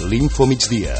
l'Info Migdia.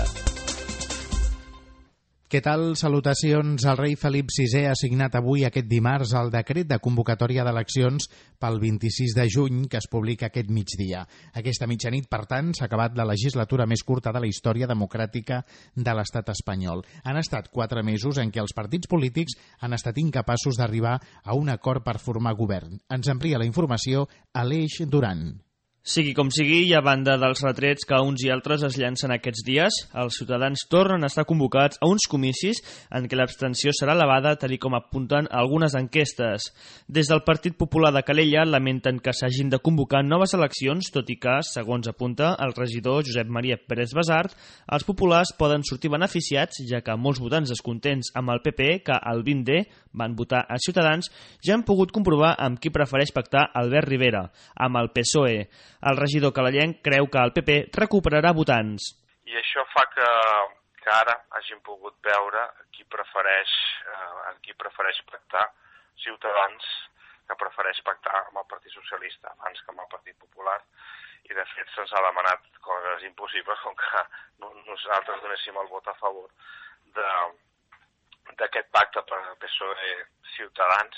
Què tal? Salutacions. El rei Felip VI ha signat avui, aquest dimarts, el decret de convocatòria d'eleccions pel 26 de juny, que es publica aquest migdia. Aquesta mitjanit, per tant, s'ha acabat la legislatura més curta de la història democràtica de l'estat espanyol. Han estat 4 mesos en què els partits polítics han estat incapaços d'arribar a un acord per formar govern. Ens amplia la informació Aleix Duran. Sigui com sigui, i a banda dels retrets que uns i altres es llancen aquests dies, els ciutadans tornen a estar convocats a uns comicis en què l'abstenció serà elevada, tal com apunten algunes enquestes. Des del Partit Popular de Calella lamenten que s'hagin de convocar noves eleccions, tot i que, segons apunta el regidor Josep Maria Pérez Basart, els populars poden sortir beneficiats, ja que molts votants descontents amb el PP, que el 20D van votar a Ciutadans, ja han pogut comprovar amb qui prefereix pactar Albert Rivera, amb el PSOE. El regidor calellenc creu que el PP recuperarà votants. I això fa que ara hagin pogut veure qui prefereix pactar Ciutadans, que prefereix pactar amb el Partit Socialista abans que amb el Partit Popular, i de fet se'ns ha demanat coses impossibles com que nosaltres donéssim el vot a favor d'aquest pacte per PSOE-Ciutadans,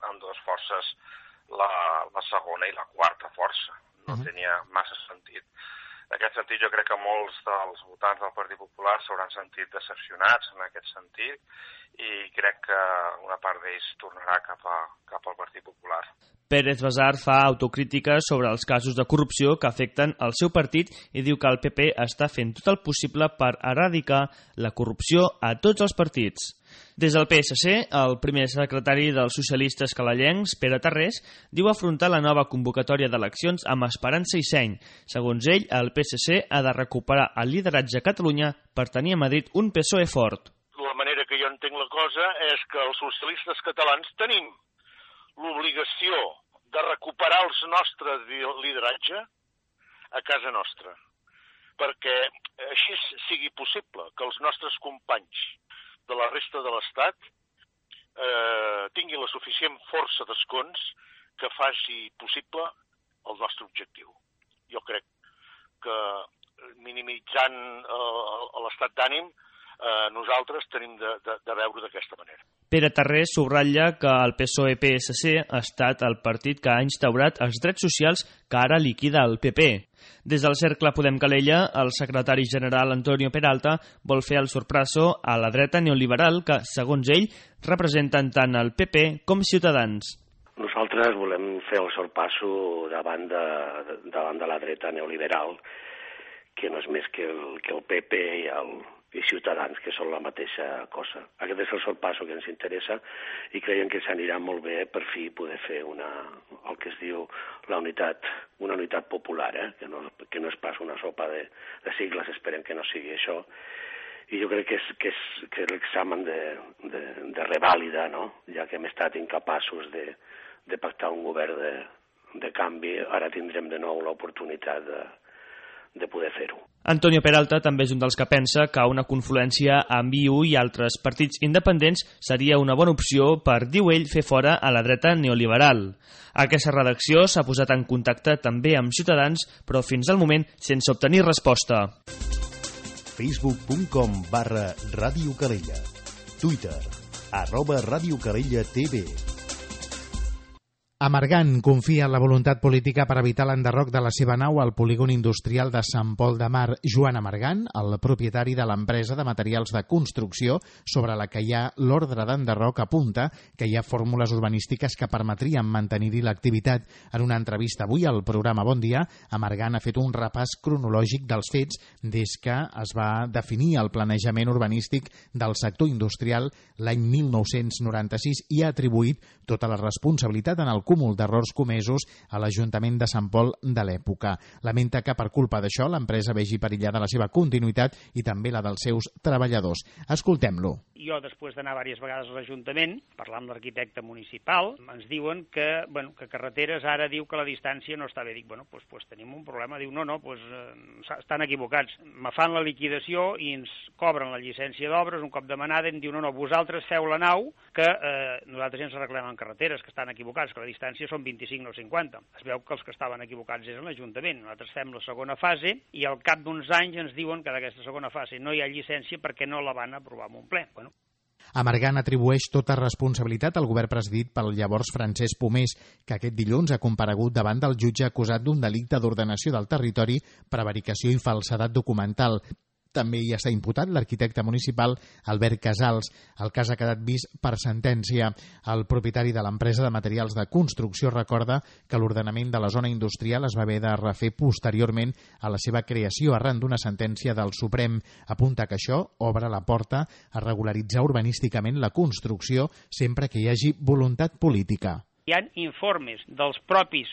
amb dues forces, la segona i la quarta força. No tenia massa sentit. En aquest sentit, jo crec que molts dels votants del Partit Popular s'hauran sentit decepcionats en aquest sentit i crec que una part d'ells tornarà cap al Partit Popular. Pérez Basart fa autocrítica sobre els casos de corrupció que afecten el seu partit i diu que el PP està fent tot el possible per erradicar la corrupció a tots els partits. Des del PSC, el primer secretari dels socialistes calellencs, Pere Tarrés, diu afrontar la nova convocatòria d'eleccions amb esperança i seny. Segons ell, el PSC ha de recuperar el lideratge a Catalunya per tenir a Madrid un PSOE fort. La manera que jo entenc la cosa és que els socialistes catalans tenim l'obligació de recuperar el nostre lideratge a casa nostra, perquè així sigui possible que els nostres companys de la resta de l'Estat tinguin la suficient força d'escons que faci possible el nostre objectiu. Jo crec que minimitzant l'estat d'ànim nosaltres tenim de veure d'aquesta manera. Pere Tarrés subratlla que el PSOE-PSC ha estat el partit que ha instaurat els drets socials que ara liquida el PP. Des del Cercle Podem Calella, el secretari general Antonio Peralta vol fer el sorpasso a la dreta neoliberal que, segons ell, representen tant el PP com Ciutadans. Nosaltres volem fer el sorpasso davant de la dreta neoliberal, que no és més que el PP i Ciutadans, que són la mateixa cosa. Aquest és el sorpasso que ens interessa i creiem que s'anirà molt bé per fi poder fer el que es diu una unitat popular, que no és pas una sopa de sigles, esperem que no sigui això. I jo crec que és l'examen de revàlida, no? Ja que hem estat incapaços de pactar un govern de canvi, ara tindrem de nou l'oportunitat de poder fer-ho. Antonio Peralta també és un dels que pensa que una confluència amb IU i altres partits independents seria una bona opció per, diu ell, fer fora a la dreta neoliberal. Aquesta redacció s'ha posat en contacte també amb Ciutadans, però fins al moment sense obtenir resposta. Facebook.com/Ràdio Calella. Twitter @Ràdio Calella TV. Amargant confia en la voluntat política per evitar l'enderroc de la seva nau al polígon industrial de Sant Pol de Mar. Joan Amargant, el propietari de l'empresa de materials de construcció sobre la que hi ha l'ordre d'enderroc, apunta que hi ha fórmules urbanístiques que permetrien mantenir-hi l'activitat. En una entrevista avui al programa Bon Dia, Amargant ha fet un repàs cronològic dels fets des que es va definir el planejament urbanístic del sector industrial l'any 1996 i ha atribuït tota la responsabilitat en el cúmul d'errors comesos a l'Ajuntament de Sant Pol de l'època. Lamenta que per culpa d'això l'empresa vegi perillada la seva continuïtat i també la dels seus treballadors. Escoltem-lo. Jo, després d'anar diverses vegades a l'Ajuntament, parlar amb l'arquitecte municipal, ens diuen que carreteres ara diu que la distància no està bé. Dic, doncs tenim un problema. Diu, estan equivocats. Me fan la liquidació i ens cobren la llicència d'obres un cop demanada i em diu, vosaltres feu la nau, que nosaltres ja ens arreglem en carreteres, que estan equivocats, que la distància distància són 25 no 50. Es veu que els que estaven equivocats és l'Ajuntament. Nosaltres fem la segona fase i al cap d'uns anys ens diuen que d'aquesta segona fase no hi ha llicència perquè no la van aprovar en un ple. Bueno. Amargant atribueix tota responsabilitat al govern presidit pel llavors Francesc Pomés, que aquest dilluns ha comparegut davant del jutge acusat d'un delicte d'ordenació del territori, prevaricació i falsedat documental. També hi està imputat l'arquitecte municipal Albert Casals. El cas ha quedat vist per sentència. El propietari de l'empresa de materials de construcció recorda que l'ordenament de la zona industrial es va haver de refer posteriorment a la seva creació arran d'una sentència del Suprem. Apunta que això obre la porta a regularitzar urbanísticament la construcció sempre que hi hagi voluntat política. Hi ha informes dels propis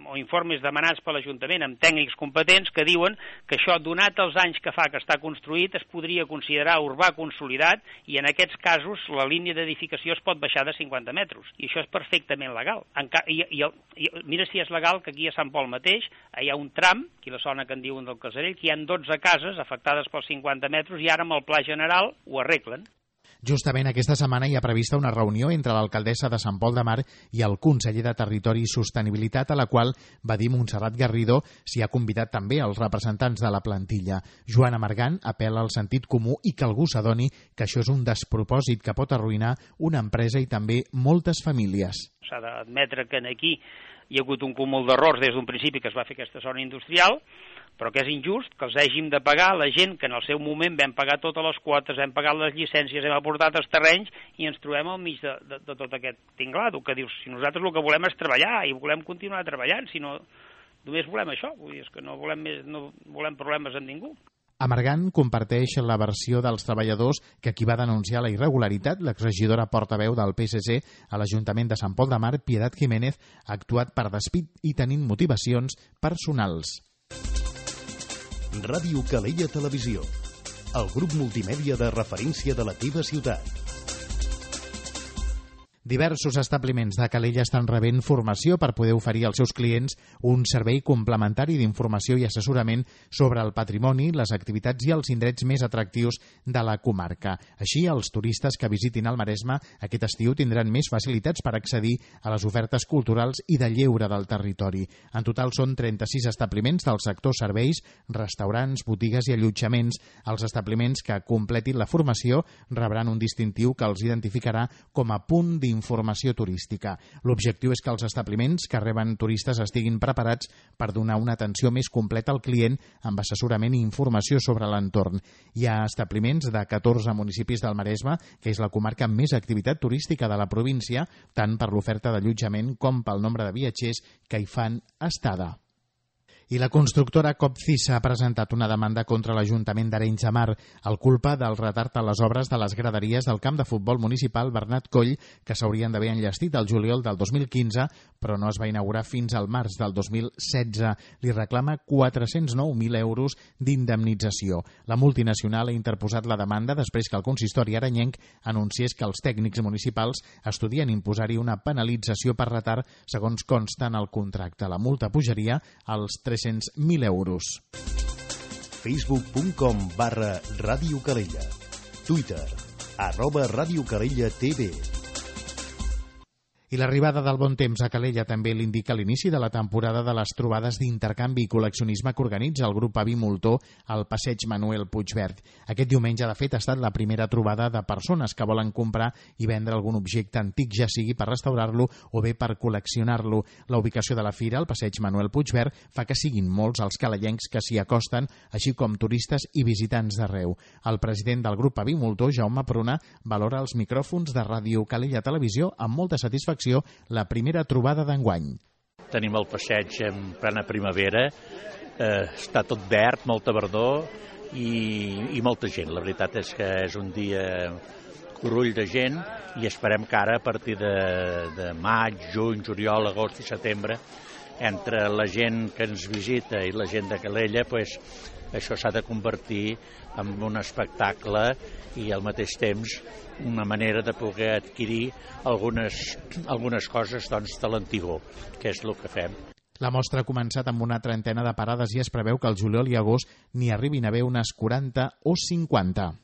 o informes demanats per l'Ajuntament amb tècnics competents que diuen que això, donat els anys que fa que està construït, es podria considerar urbà consolidat i en aquests casos la línia d'edificació es pot baixar de 50 metres. I això és perfectament legal. Mira si és legal que aquí a Sant Pol mateix hi ha un tram, aquí la zona que en diuen del Casarell, que hi ha 12 cases afectades pels 50 metres i ara amb el Pla General ho arreglen. Justament aquesta setmana hi ha prevista una reunió entre l'alcaldessa de Sant Pol de Mar i el conseller de Territori i Sostenibilitat, a la qual va dir Montserrat Garrido s'hi ha convidat també els representants de la plantilla. Joan Amargant apel·la al sentit comú i que algú s'adoni que això és un despropòsit que pot arruïnar una empresa i també moltes famílies. S'ha d'admetre que aquí hi ha hagut un cúmul d'errors des d'un principi que es va fer aquesta zona industrial, però que és injust que els hàgim de pagar la gent que en el seu moment vam pagar totes les quotes, hem pagat les llicències, hem aportat els terrenys i ens trobem al mig de tot aquest tinglado, que dius, si nosaltres el que volem és treballar i volem continuar treballant, si no només volem això, vull dir, és que no volem problemes amb ningú. Amargant comparteix la versió dels treballadors que qui va denunciar la irregularitat, l'exregidora portaveu del PSC a l'Ajuntament de Sant Pol de Mar, Piedad Jiménez, ha actuat per despit i tenint motivacions personals. Ràdio Calella Televisió, el grup multimèdia de referència de la teva ciutat. Diversos establiments de Calella estan rebent formació per poder oferir als seus clients un servei complementari d'informació i assessorament sobre el patrimoni, les activitats i els indrets més atractius de la comarca. Així, els turistes que visitin el Maresme aquest estiu tindran més facilitats per accedir a les ofertes culturals i de lleure del territori. En total són 36 establiments del sector serveis, restaurants, botigues i allotjaments. Els establiments que completin la formació rebran un distintiu que els identificarà com a punt d'informació turística. L'objectiu és que els establiments que reben turistes estiguin preparats per donar una atenció més completa al client amb assessorament i informació sobre l'entorn. Hi ha establiments de 14 municipis del Maresme, que és la comarca amb més activitat turística de la província, tant per l'oferta d'allotjament com pel nombre de viatgers que hi fan estada. I la constructora Copcisa ha presentat una demanda contra l'Ajuntament d'Arenys de Mar al culpa del retard a les obres de les graderies del camp de futbol municipal Bernat Coll, que s'haurien d'haver enllestit el juliol del 2015, però no es va inaugurar fins al març del 2016. Li reclama 409.000 euros d'indemnització. La multinacional ha interposat la demanda després que el consistori arenyenc anunciés que els tècnics municipals estudien imposar-hi una penalització per retard, segons consta en el contracte. La multa pujaria als 300.000 euros. Facebook.com/Ràdio Calella. Twitter @Ràdio Calella TV. I l'arribada del bon temps a Calella també l'indica l'inici de la temporada de les trobades d'intercanvi i col·leccionisme que organitza el grup Avi Moltó al passeig Manuel Puigverd. Aquest diumenge, de fet, ha estat la primera trobada de persones que volen comprar i vendre algun objecte antic, ja sigui per restaurar-lo o bé per col·leccionar-lo. La ubicació de la fira, al passeig Manuel Puigverd, fa que siguin molts els calellencs que s'hi acosten, així com turistes i visitants d'arreu. El president del grup Avi Moltó, Jaume Pruna, valora els micròfons de Ràdio Calella Televisió amb molta satisfacció la primera trobada d'enguany. Tenim el passeig en plena primavera, està tot verd, molta verdor i molta gent. La veritat és que és un dia corull de gent i esperem que ara a partir de maig, juny, juliol, agost i setembre, entre la gent que ens visita i la gent de Calella, pues, això s'ha de convertir en un espectacle i al mateix temps una manera de poder adquirir algunes coses doncs, de l'antigor, que és el que fem. La mostra ha començat amb una trentena de parades i es preveu que el juliol i agost n'hi arribin a haver unes 40 o 50.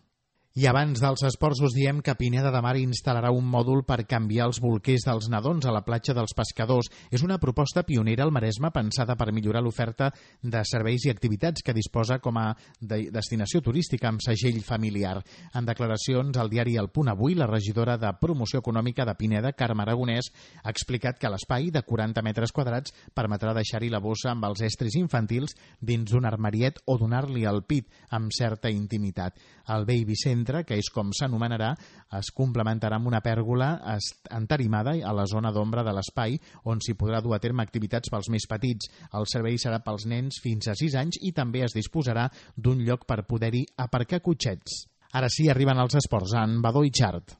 I abans dels esports us diem que Pineda de Mar instal·larà un mòdul per canviar els bolquers dels nadons a la platja dels Pescadors. És una proposta pionera al Maresme pensada per millorar l'oferta de serveis i activitats que disposa com a destinació turística amb segell familiar. En declaracions al diari El Punt Avui, la regidora de Promoció Econòmica de Pineda, Carme Aragonès, ha explicat que l'espai de 40 metres quadrats permetrà deixar-hi la bossa amb els estris infantils dins d'un armariet o donar-li el pit amb certa intimitat. El Baby Centre, que és com s'anomenarà, es complementarà amb una pèrgola entarimada a la zona d'ombra de l'espai, on s'hi podrà dur a terme activitats pels més petits. El servei serà pels nens fins a 6 anys i també es disposarà d'un lloc per poder-hi aparcar cotxets. Ara sí, arriben els esports en Badó i Xart.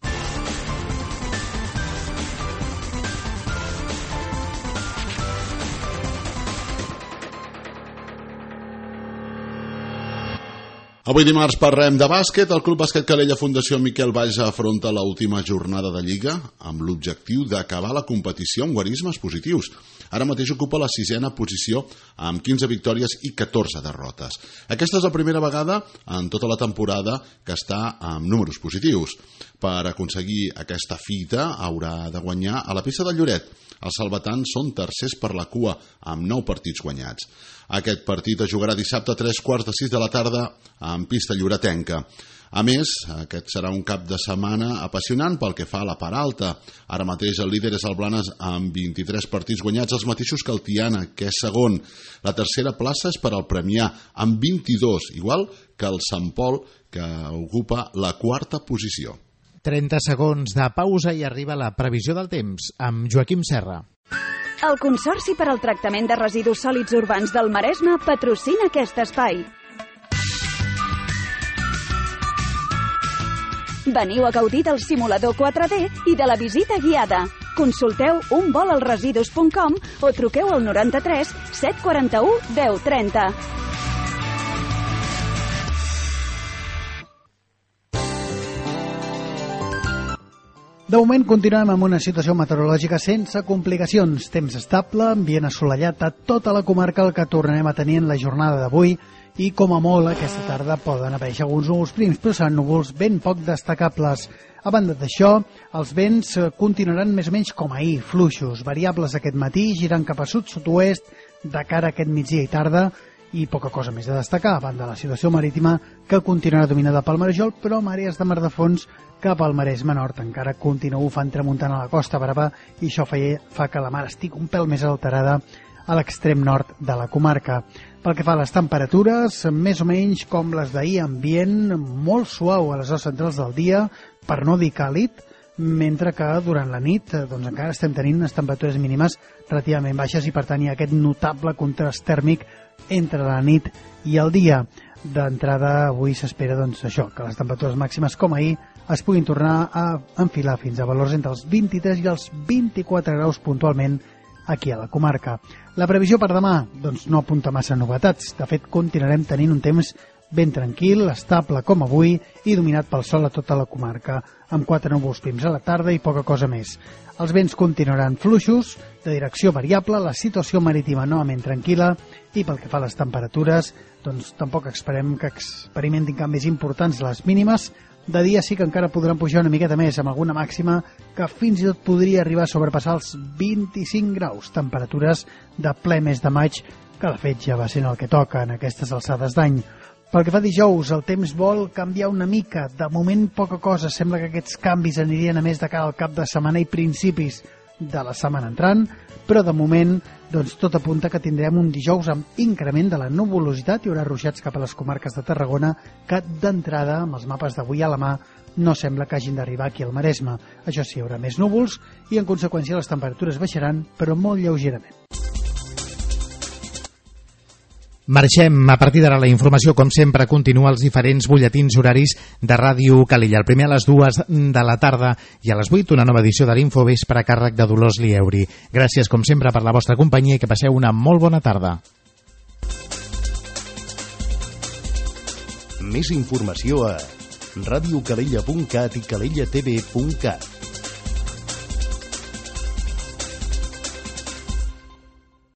Avui dimarts parlem de bàsquet. El Club Bàsquet Calella Fundació Miquel Valls afronta l'última jornada de Lliga amb l'objectiu d'acabar la competició amb guarismes positius. Ara mateix ocupa la 6ª posició amb 15 victòries i 14 derrotes. Aquesta és la primera vegada en tota la temporada que està amb números positius. Per aconseguir aquesta fita haurà de guanyar a la pista del Lloret. Els salvatans són tercers per la cua amb 9 partits guanyats. Aquest partit es jugarà dissabte a 3:15 de la tarda en pista lloretenca. A més, aquest serà un cap de setmana apassionant pel que fa a la part alta. Ara mateix el líder és el Blanes amb 23 partits guanyats, els mateixos que el Tiana, que és segon. La tercera plaça és per al Premià, amb 22, igual que el Sant Pol, que ocupa la 4ª posició. 30 segons de pausa i arriba la previsió del temps amb Joaquim Serra. El Consorci per al Tractament de Residus Sòlids Urbans del Maresme patrocina aquest espai. Veniu a gaudir del simulador 4D i de la visita guiada. Consulteu unvolalresidus.com o truqueu al 93 741 1030. De moment continuem amb una situació meteorològica sense complicacions. Temps estable, ambient assolellat a tota la comarca, el que tornarem a tenir en la jornada d'avui, i com a molt aquesta tarda poden aparèixer alguns núvols prims, però seran núvols ben poc destacables. A banda d'això, els vents continuaran més o menys com ahir, fluixos, variables aquest matí, girant cap a sud-sud-oest de cara a aquest migdia i tarda, i poca cosa més de destacar, a banda de la situació marítima que continuarà dominada pel Marejol, però amb àrees de mar de fons cap al Maresme Nord. Encara continua bufant tramuntant a la Costa Brava i això fa que la mar estigui un pèl més alterada a l'extrem nord de la comarca. Pel que fa a les temperatures, més o menys com les d'ahir, ambient molt suau a les hores centrals del dia, per no dir càlid, mentre que durant la nit doncs encara estem tenint unes temperatures mínimes relativament baixes i per tant hi ha aquest notable contrast tèrmic entre la nit i el dia. D'entrada avui s'espera doncs això, que les temperatures màximes com ahir es puguin tornar a enfilar fins a valors entre els 23 i els 24 graus puntualment aquí a la comarca. La previsió per demà doncs no apunta massa novetats. De fet, continuarem tenint un temps ben tranquil, estable com avui i dominat pel sol a tota la comarca, amb 4 núvols prims a la tarda i poca cosa més. Els vents continuaran fluixos, de direcció variable, la situació marítima novament tranquil·la i pel que fa a les temperatures, doncs tampoc esperem que experimentin canvis importants les mínimes. De dia sí que encara podran pujar una miqueta més, amb alguna màxima que fins i tot podria arribar a sobrepassar els 25 graus, temperatures de ple mes de maig, que de fet ja va sent el que toca en aquestes alçades d'any. Pel que fa dijous, el temps vol canviar una mica. De moment, poca cosa. Sembla que aquests canvis anirien a més de cara al cap de setmana i principis de la setmana entrant, però de moment doncs, tot apunta que tindrem un dijous amb increment de la nuvolositat. Hi haurà ruixats cap a les comarques de Tarragona que d'entrada, amb els mapes d'avui a la mà, no sembla que hagin d'arribar aquí al Maresme. Això sí, hi haurà més núvols i en conseqüència les temperatures baixaran, però molt lleugerament. Marxem. A partir d'ara la informació, com sempre, continua als diferents butlletins horaris de Ràdio Calella. El primer a les 2 de la tarda i a les 8 una nova edició de l'Infovespre a càrrec de Dolors Lieuri. Gràcies, com sempre, per la vostra companyia i que passeu una molt bona tarda. Més informació a radiocalella.cat i calellatv.cat.